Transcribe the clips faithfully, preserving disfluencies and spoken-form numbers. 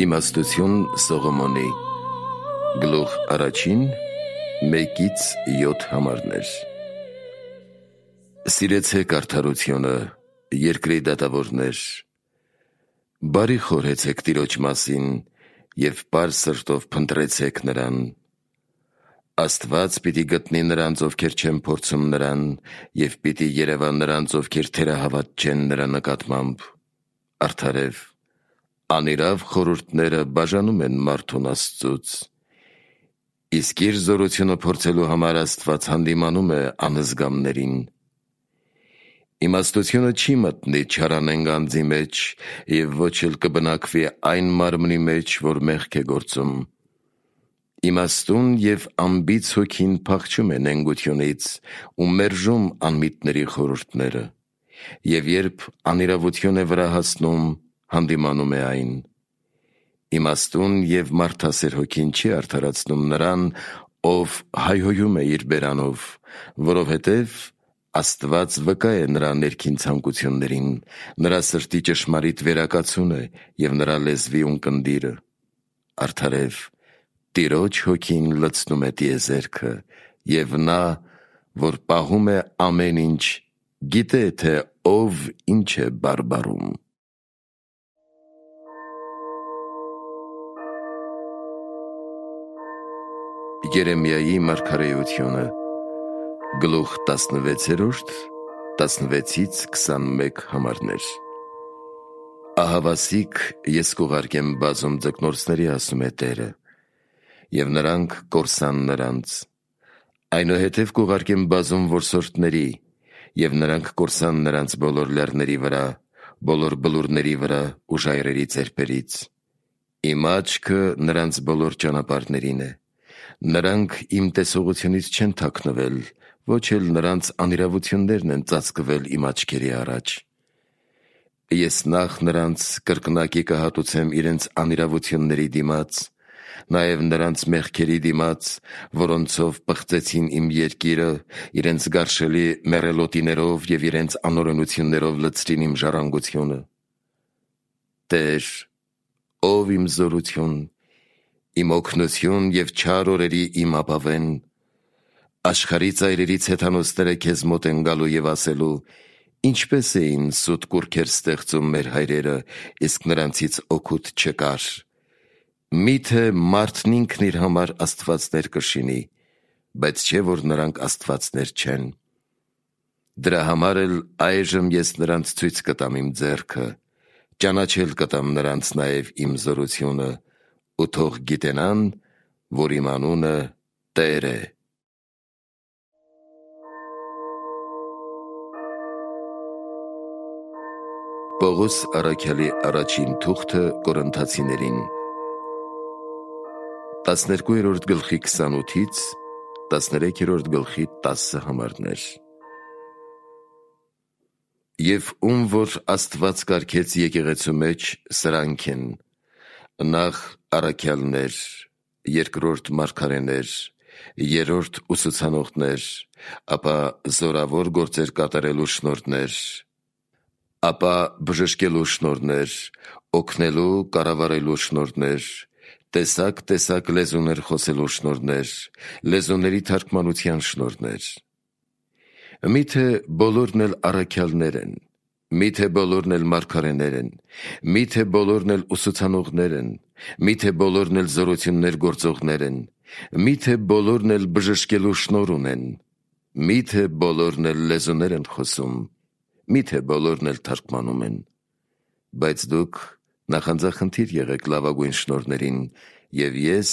Իմաստություն Սողոմոնի Գլուխ առաջին մեկից յոթ համարներ։ Սիրեցեք արդարությունը, երկրի դատավորներ, բարի խորհեցեք Տիրոջ մասին և պարզ սրտով փնտրեցեք նրան։ Աստված պիտի գտնի նրանց, ովքեր չեն փորձում նրան, և պիտի երևա նրանց, ովքեր թերահավատ չեն նրա նկատմամբ։ Արդարև, անիրավ խորհուրդները բաժանում են մարդուն Աստծուց, իսկ իր զորությունը փորձելու համար Աստված հանդիմանում է անզգամներին։ Իմաստությունը չի մտնի չարանենգ անձի մեջ, և ոչ էլ կբնակվի այն մարմնի մեջ, որ մեղք է գործում։ Իմաստուն և անբիծ հոգին փախչում է նենգությունից ու մերժում անմիտների խորհուրդները, և երբ անիրավություն է վրա հասնում, հանդիմանում է այն։ Իմաստուն և մարդասեր հոգին չի արդարացնում նրան, ով հայհոյում է իր բերանով, որովհետև Աստված վկա է նրա ներքին ցանկություններին, նրա սրտի ճշմարիտ վերակացուն է և նրա լեզվի ունկնդիրը։ Արդարև, Տիրոջ հոգին լցնում է տիեզերքը, և նա, որ պահում է ամեն ինչ, գիտե, թե ով ինչ է բարբառում։ Երեմիայի մարգարեությունը Գլուխ տասնվեցերորդ տասնվեցից քսանմեկ համարներ։ Ահավասիկ ես կուղարկեմ բազում ձկնորսների, ասում է Տերը, և նրանք կորսան նրանց, այնուհետև կուղարկեմ բազում որսորդների, և նրանք կորսան նրանց բոլոր լեռների վրա, բոլոր բլուրների վրա ու ժայռերի ծերպերից։ Իմ աչքը նրանց բոլոր ճանապարհներին է, նրանք իմ տեսողությունից չեն թաքնվել, ոչ էլ նրանց անիրավություններն են ծածկվել իմ աչքերի առաջ։ Ես նախ նրանց կրկնակի կհատուցեմ իրենց անիրավությունների դիմաց, նաև նրանց մեղքերի դիմաց, որոնցով պղծեցին իմ երկիրը, իրենց գարշելի մեռելոտիներով և իրենց անօրենություններով լցրին իմ ժառանգությունը։ Տեր, ով իմ զորություն, իմ օգնություն և չար օրերի իմ ապավեն, աշխարհի ծայրերից հեթանոսները քեզ մոտ են գալու և ասելու. ինչպես էին սուտ կուռքեր ստեղծում մեր հայրերը, իսկ նրանցից օգուտ չկար։ Միթե մարդն ինքն իր համար աստվածներ կշինի, բայց չէ, որ նրանք աստվածներ չեն։ Դրա համար էլ այժմ ես նրանց ցույց կտամ իմ ձեռքը, ճանաչել կտամ նրանց նաև իմ զորությունը, ու թող գիտենան, որ իմ անունը Տեր է։ Պողոս առաքյալի առաջին թուղթը Կորինթացիներին տասներկուերորդ գլխի քսանութից տասներեքերորդ գլխի տասը համարներ։ Եվ ում որ Աստված կարգեց եկեղեցու մեջ, սրանք են. նախ առաքյալներ, երկրորդ մարգարեներ, երրորդ ուսուցանողներ, ապա զորավոր գործեր կատարելու շնորհներ, ապա բժշկելու շնորհներ, օգնելու, կառավարելու շնորհներ, տեսակ-տեսակ լեզուներ խոսելու շնորհներ, լեզուների թարգմանության շնորհներ։ Միթե բոլորն էլ առաքյալներ են, միթե բոլորն էլ մարգարեներ են, միթե բոլորն էլ ուսուցանողներ են, միթե բոլորն էլ զորություններ գործողներ են, միթե բոլորն էլ բժշկելու շնորհ ունեն, միթե բոլորն էլ լեզուներ են խոսում, միթե բոլորն էլ թարգմանում են։ Բայց դուք նախանձախնդիր եղեք լավագույն շնորհներին, և ես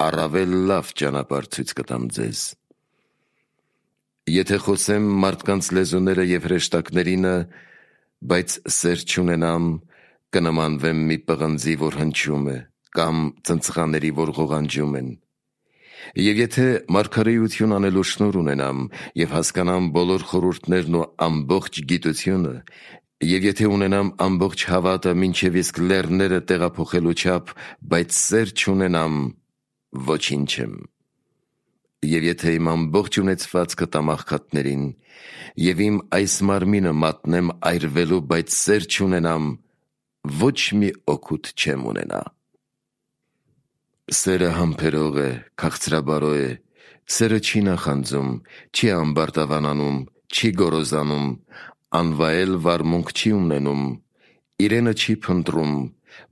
առավել լավ ճանապարհ ցույց կտամ ձեզ։ Եթե խոսեմ մարդկանց լեզուները և հրեշտակներինը, բայց սեր չունենամ, կնմանվեմ մի պղնձի, որ հնչում է, կամ ծնծղաների, որ ղողանջում են։ Եվ եթե մարգարեություն անելու շնորհ ունենամ և հասկանամ բոլոր խորհուրդներն ու ամբողջ գիտությունը, և եթե ունենամ ամբողջ հավատը մինչև իսկ լեռները տեղափոխելու չափ, բայց սեր չունենամ, ոչինչ եմ։ Եվ եթե իմ ամբողջ ունեցվածքը տամ աղքատներին, և իմ այս մարմինը մատնեմ այրվելու, բայց սեր չունենամ, ոչ մի օգուտ չեմ ունենա։ Սերը համբերող է, քաղցրաբարո է, սերը չի նախանձում, չի ամբարտավանանում, չի գոռոզանում, անվայել վարմունք չի ունենում, իրենը չի փնտրում,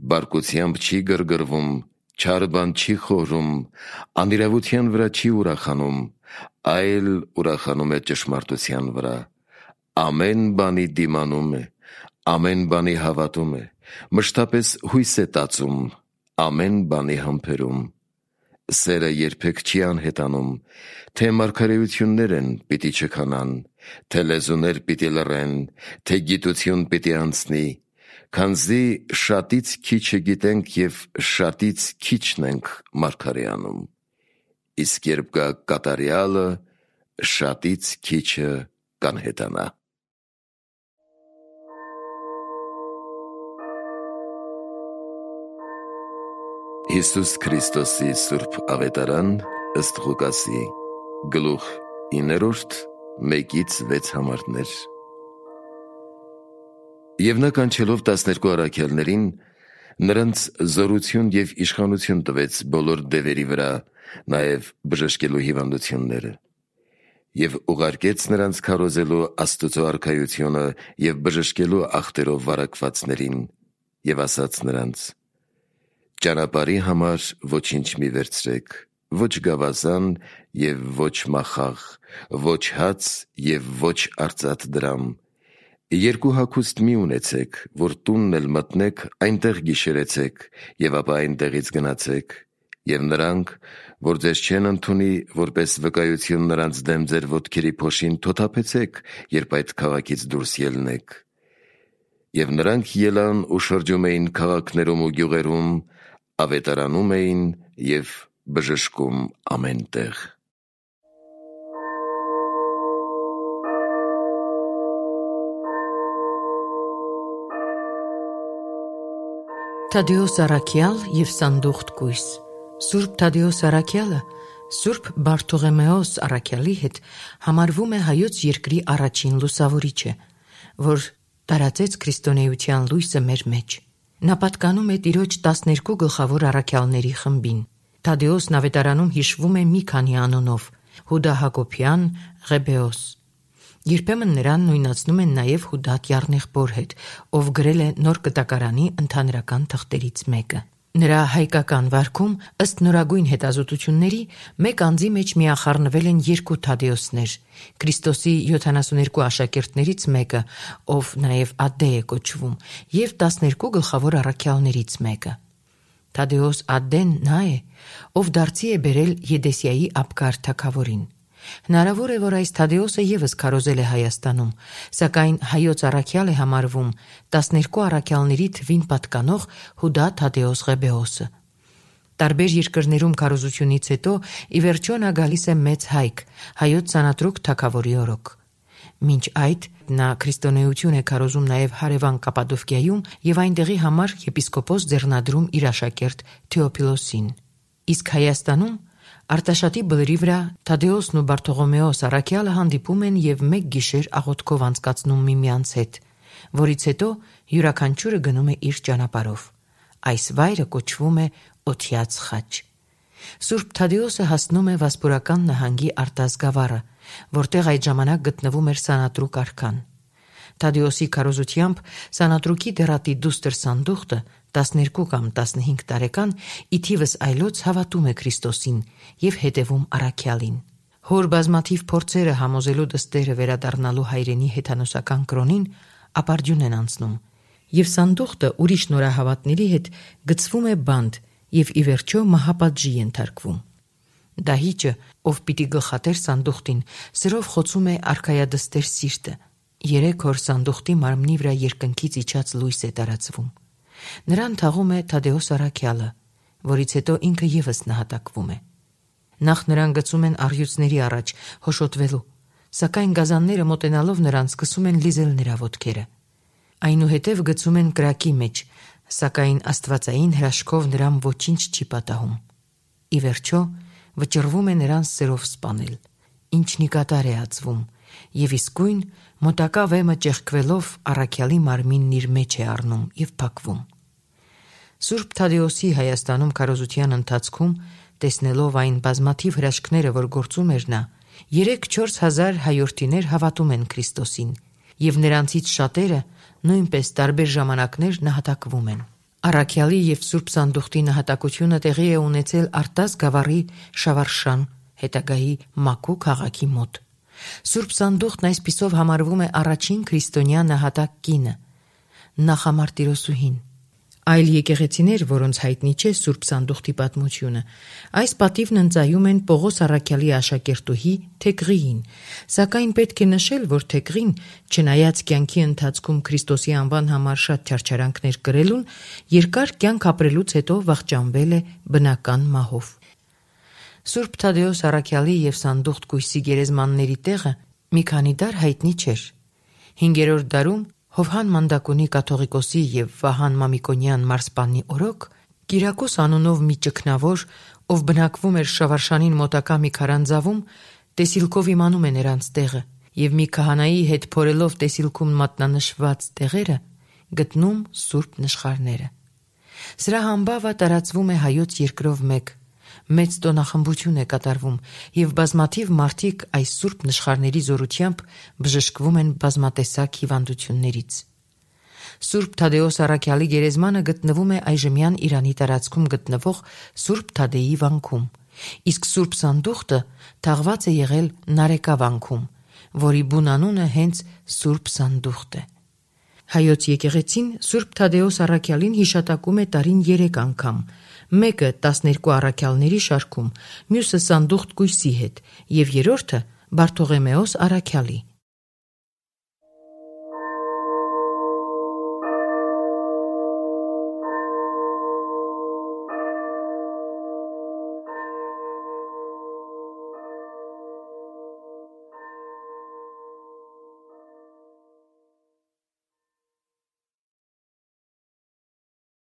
բարկությամբ չի գրգռվում, չար բան չի խորում, անիրավության վրա չի ուրախանում, այլ ուրախանում է ճշմարտության վրա, ամեն բանի դիմանում է, ամեն բանի հավատում է, մշտապես հույս է տածում, ամեն բանի համբերում։ Սերը երբեք չի անհետանում, թե մարգարեություններ են պիտի չքանան, թե լեզուներ պիտի լռեն, թե գիտություն պիտի անցնի, քանզի շատից քիչը գիտենք և շատից քիչն ենք մարգարեանում, իսկ երբ գա կատարյալը, շատից քիչը կանհետանա։ Հիսուս Քրիստոսի Սուրբ Ավետարան ըստ Ղուկասի, գլուխ իններորդ, մեկից վեց համարներ։ Եվ նա կանչելով տասներկու առաքյալներին, նրանց զորություն և իշխանություն տվեց բոլոր դևերի վրա, նաև բժշկելու հիվանդությունները, և ուղարկեց նրանց քարոզելու Աստծո արքայությունը և բժշկելու ախտերով վարակվածներին, և ասաց նրանց. «Ճանապարհի համար ոչինչ մի վերցրեք, ոչ գավազան և ոչ մախաղ, ոչ հաց և ոչ արծաթ դրամ, երկու հագուստ մի ունեցեք, որ տունն էլ մտնեք, այնտեղ գիշերեցեք և ապա այնտեղից գնացեք, և նրանք, որ ձեզ չեն ընդունի որպես վկայություն նրանց դեմ ձեր ոտքերի փոշին, թոթափեցեք, երբ այդ քաղաքից դուրս ելնեք»։ Եվ նրանք ելան ու շրջում էին քաղաքներում ու գյուղերում, ավետարանում էին և բժշկում ամեն տեղ։ Թադեոս առաքյալ և Սանդուղթ կույս։ Սուրբ Թադեոս առաքյալը Սուրբ Բարթողեմեոս առաքյալի հետ համարվում է հայոց երկրի առաջին լուսավորիչը, որ տարածեց քրիստոնեության լույսը մեր մեջ։ Նա պատկանում է Տիրոջ տասներկու գլխավոր առաքյալների խմբին։ Թադեոսն ավետարանում հիշվում է մի քանի անունով՝ Հուդա Հակոբյան, Ղեբեոս։ Երբեմն նրան նույնացնում են նաև Հուդա Կյառնեղբոր հետ, ով գրել է Նոր Կտակարանի ընդհանրական թղթերից մեկը։ Նրա հայկական վարքում, ըստ նորագույն հետազոտությունների, մեկ անձի մեջ միախառնվել են երկու Թադեոսներ՝ Քրիստոսի յոթանասուներկու աշակերտներից մեկը, ով նաև Ադդե է կոչվում, և տասներկու գլխավոր առաքյալներից մեկը։ Թադեոս Ադդեն նա է, ով դարձի է բերել Եդեսիայի Աբգար թագավորին։ Հնարավոր է, որ այս Թադեոսը ևս քարոզել է Հայաստանում, սակայն հայոց առաքյալ է համարվում տասներկու առաքյալների թվին պատկանող Հուդա Թադեոս Ղեբեոսը։ Տարբեր երկրներում քարոզությունից հետո ի վերջո նա գալիս է Մեծ Հայք, հայոց Սանատրուկ թագավորի օրոք։ Մինչ այդ նա քրիստոնեություն է քարոզում նաև հարևան Կապադովկիայում և այնտեղի համար եպիսկոպոս ձեռնադրում իր աշակերտ Թեոփիլոսին։ Իսկ Հայաստանում Արտաշատի բլրի վրա Թադեոսն ու Բարթողոմեոս առաքյալը հանդիպում են և մեկ գիշեր աղոթքով անցկացնում միմյանց հետ, որից հետո յուրաքանչյուրը գնում է իր ճանապարհով։ Այս վայրը կոչվում է Օթյաց խաչ։ Սուրբ Թադեոսը հասնում է Վասպուրական նահանգի Արտազգավառը, որտեղ այդ ժամանակ գտնվում էր Սանատրուկ արքան։ Թադեոսի քարոզությամբ Սանատրուկի դեռատի դուստր Սանդուղթը տասներկու կամ տասնհինգ տարեկան ի թիվս այլոց հավատում է Քրիստոսին և հետևում առաքյալին։ Հոր բազմաթիվ փորձերը համոզելու դստերը վերադառնալու հայրենի հեթանոսական կրոնին ապարդյուն են անցնում, և Սանդուղթը ուրիշ նորահավատների հետ գցվում է բանտ և ի վերջո մահապատժի ենթարկվում։ Դահիճը, ով պիտի գլխատեր Սանդուղթին, սրով խոցում է արքայադստեր սիրտը։ Երեք օր Սանդուղթի մարմնի վրա երկնքից իջած լույս է տարածվում։ Նրան թաղում է Թադեոս առաքյալը, որից հետո ինքը ևս նահատակվում է։ Նախ նրան գցում են առյուծների առաջ հոշոտվելու, սակայն գազանները մոտենալով նրան սկսում են լիզել նրա ոտքերը։ Այնուհետև գցում են կրակի մեջ, սակայն աստվածային հրաշքով նրան ոչինչ չի պատահում։ Ի վերջո վճռվում է նրան սերով սպանել, ինչն ի կատար է ածվում, և իսկույն մոտակա վեմը ճեղքվելով առաքյալի մարմինն իր մեջ է առնում և փակվում։ Սուրբ Թադեոսի Հայաստանում քարոզության ընթացքում, տեսնելով այն բազմաթիվ հրաշքները, որ գործում էր նա, երեք-չորս հազար հայորդիներ հավատում են Քրիստոսին, եւ նրանցից շատերը նույնպես տարբեր ժամանակներ նահատակվում են։ Առաքյալի եւ Սուրբ Սանդուղտի նահատակությունը տեղի է ունեցել Արտաս գավառի Շավարշան, հետագայի Մաքու քաղաքի մոտ։ Սուրբ Սանդուղտն այսպիսով համարվում է առաջին քրիստոնյա նահատակ կինը, նախամարտիրոսուհին։ Այլ եկեղեցիներ, որոնց հայտնի չէ Սուրբ Սանդուղտի պատմությունը, այս պատիվն ընծայում են Պողոս առաքյալի աշակերտուհի Թեքղիին, սակայն պետք է նշել, որ Թեքղին, չնայած կյանքի ընթացքում Քրիստոսի անվան համար շատ չարչարանքներ կրելուն, երկար կյանք ապրելուց հետո վախճանվել է բնական մահով։ Սուրբ Թադեոս առաքյալի եւ Սանդուղտ կույսի գերեզմանների տեղը մի քանի դար հայտնի չէր։ Հինգերորդ դարում Հովհան Մանդակոնի կաթողիկոսի եւ Վահան Մամիկոնյան մարսպանի օրոք Կիրակոս անունով մի ճգնավոր, ով բնակվում էր Շավարշանին մոտակա մի քարանձավում, տեսիլքով իմանում է նրանց տեղը եւ մի քահանայի հետ փորելով տեսիլքում մատնանշված տեղերը գտնում սուրբ նշխարները։ Սրա համբավը տարածվում է հայոց երկրով մեկ, մեծ տոնախմբություն է կատարվում եւ բազմաթիվ մարդիկ այս սուրբ նշխարների զորությամբ բժշկվում են բազմատեսակ հիվանդություններից։ Սուրբ Թադեոս առաքյալի գերեզմանը գտնվում է այժմյան Իրանի տարածքում գտնվող Սուրբ Թադեի վանքում, իսկ Սուրբ Սանդուղտը թաղված է եղել Նարեկա վանքում, որի բուն անունը հենց Սուրբ Սանդուղտ է։ Հայոց եկեղեցին Սուրբ Թադեոս առաքյալին հիշատակում է տարին երեք անգամ, մեկը տասներկու առաքյալների շարքում, մյուսը Սանդուղտ կույսի հետ եւ երրորդը Բարթողեմեոս առաքյալի։